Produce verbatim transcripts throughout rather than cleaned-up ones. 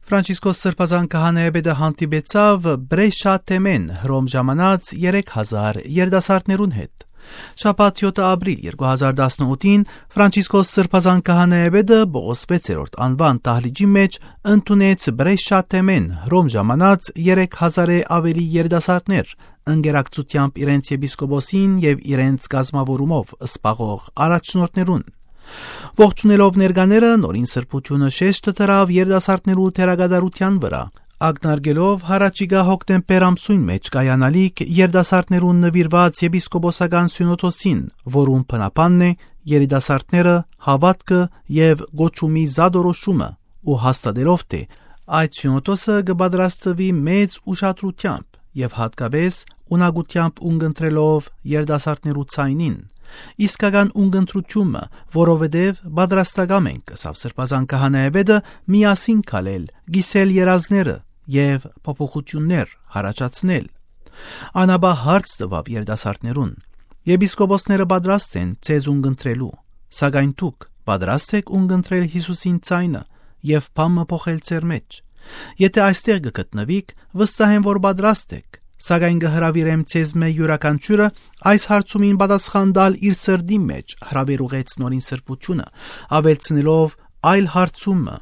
Ֆրանցիսկոս Սրբազան քահանայապետը հանդիպեցավ Բրեշաթեմեն հռոմ ժամանած երեք հազար երիտասարդներուն հետ։ Շաբաթ յոթ ապրիլ երկու հազար տասնութին Ֆրանցիսկոս Սրբազան քահանայապետը Պողոս վեցերորդ անվան տահլիճի մեջ ընդունեց Բրեշաթեմեն հռոմ ժամանած երեք հազարը ավելի երիտասարդներ, ընկերակցությամբ իրենց եպիսկոպոսին եւ իրենց գազմավորումով սպաղող առաջնորդներուն։ Ողջունելով ներկաները նորին սրբությունը շեշտը դրավ երիտասարդներու թերագադարության վրա, ակնարկելով հառաջիկա հոկտեմբեր ամսույն մեջ կայանալիք երիտասարդներուն նվիրված եպիսկոպոսական սյունոդոսին, որում բնապանն է երիտասարդները հավատքը եւ գոչումի զադորոշումը ու հաստատելով թե այդ սյունոդոսը կպատրաստվի մեծ ուշադրությամբ եւ հատկապես ունակությամբ ունկնդրելով երիտասարդներու ցայնին, իսկական ունկնդրությունը, որովհետև պատրաստակամ ենք, ասավ Սրբազան քահանայապետը, միասին քալել, գիսել երազները եւ փոփոխություններ հարաճացնել։ Անաբա հարց տվավ երիտասարդներուն. Եպիսկոպոսները պատրաստ են ցեզ ունկնդրելու, սակայն դուք պատրաստ եք ունկնդրել Հիսուսին ցայնը եւ բամը փոխել ձեր մեջ։ Եթե այստեղ կգտնվիք, վստահ եմ, որ պատրաստ եք, սակայն կհրավիրեմ ցեզ մե յուրաքանչյուրը այս հարցումին պատասխան տալ իր սրտի մեջ, հրավերուղեց նորին սրբությունը, ավելցնելով այլ հարցումը,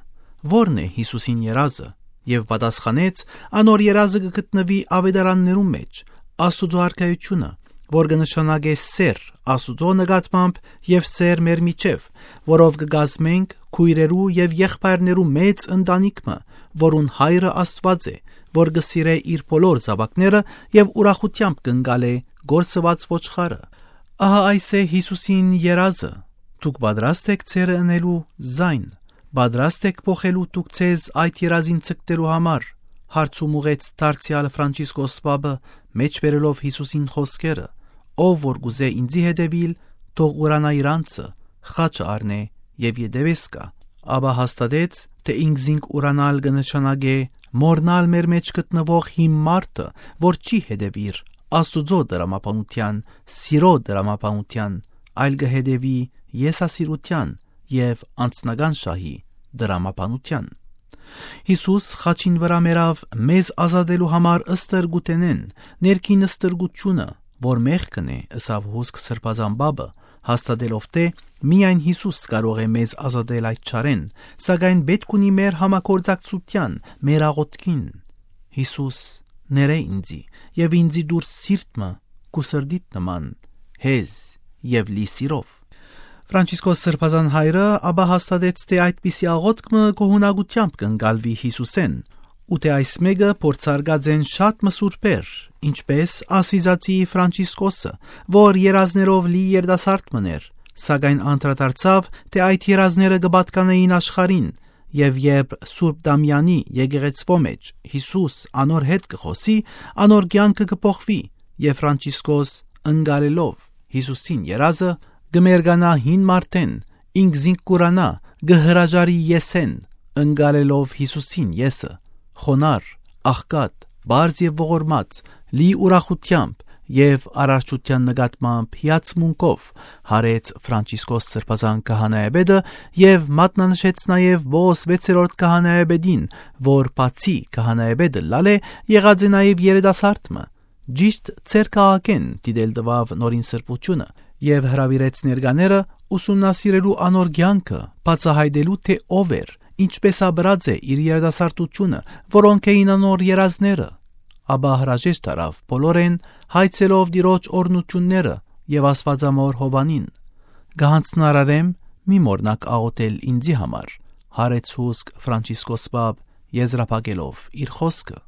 որն է Հիսուսին երազը, եւ պատասխանեց, անոր երազը կգտնվի ավետարաններում մեջ, Աստուծո արքայությունը, որ կնշանակե սեր Աստուծո նկատմամբ եւ սեր մեր միջև, որով կգազմենք քույրերու եւ եղբայրներու մեծ ընտանիքը, որուն հայրը Աստված է, որ կսիրե իր բոլոր զավակները եւ ուրախությամբ կընկալե գործված ոչխարը։ Ահա այս է Հիսուսին երազը։ Դուք պատրաստ եք ցերը ընելու զայն, պատրաստ եք փոխելու դուք ցեզ այդ երազին ցկտելու համար։ Հարցում ուղեց դարձյալ Ֆրանցիսկոս Պապը, մեջբերելով Հիսուսին խոսքերը. ով որ գուզե ինձի հետևիլ, թող ուրանա իր անձը, խաչը առնե եւ յետևես կա։ Աբա հաստատեց, թե ինքզինք ուրանալ կնշանակե մորնալ մեր մեջ գտնվող հիմ մարդը, որ չի հետևիր Աստուծո դրամապանության, սիրո դրամապանության, այլ կհետևի եսասիրության եւ անձնական շահի դրամապանության։ Հիսուս խաչին վրա մերավ մեզ ազատելու համար ըստրգութենեն, ներքին ըստրգությունը, որ մեղքն է, ըսավ հոսք Սրբազան Պապը, հաստատելով թե միայն Հիսուս կարող է մեզ ազատել այդ չարեն, սակայն պետք ունի մեր համագործակցության, մեր աղոթքին։ Հիսուս, ներե ինձի եւ ինձի դուրս սիրտը կուսրդիտ նման, հեզ եւ լի սիրով։ Ֆրանցիսկոս Սրբազան հայրը ապա հաստատեց, թե այդպիսի աղոթքը կողունակությամբ կընկալվի Հիսուսեն, ու թե այս մեկը փորձարկած են շատ մսուրբեր, ինչպես Ասիզացի Ֆրանցիսկոսը, որ երազներով լի երիտասարդ մներ, սակայն անդրադարձավ, թե այդ երազները կպատկանեին աշխարհին, եւ երբ Սուրբ Դամյանի եկեղեցվո մեջ Հիսուս անոր հետ կխոսի, անոր կյանքը կփոխվի, եւ Ֆրանցիսկոս ընկալելով Հիսուսին երազը կմերգանա հին մարդեն, ինքզինք կուրանա, կհրաժարի եսեն, ընկալելով Հիսուսին եսը, խոնար, աղքատ, բարձ եւ ողորմած, լի ուրախությամբ եւ արարչության նկատմամբ հիացմունքով հարեց Ֆրանցիսկոս Սրբազան քահանայապետը եւ մատնանշեց նաեւ Պողոս վեցերորդ քահանայապետին, որ բացի քահանայապետը լալե եղած է նաեւ երիտասարդը, ճիշտ ցերկաղակեն դիդել տվավ նորին սրբությունը եւ հրավիրեց ներկաները ուսումնասիրելու անոր կյանքը, բացահայտելու թե ով էր, ինչպես աբրած է իր երիտասարդությունը, որոնք էին անոր երազները։ Աբա հրաժեշտ արավ բոլորեն հայցելով դիրոջ օրնությունները եւ Աստվածամոր Հովանին։ Գահանցնարարեմ մի մորնակ աղոթել ինձի համար, հարեց հոսք Ֆրանցիսկոս Պապ եզրափակելով իր խոսքը։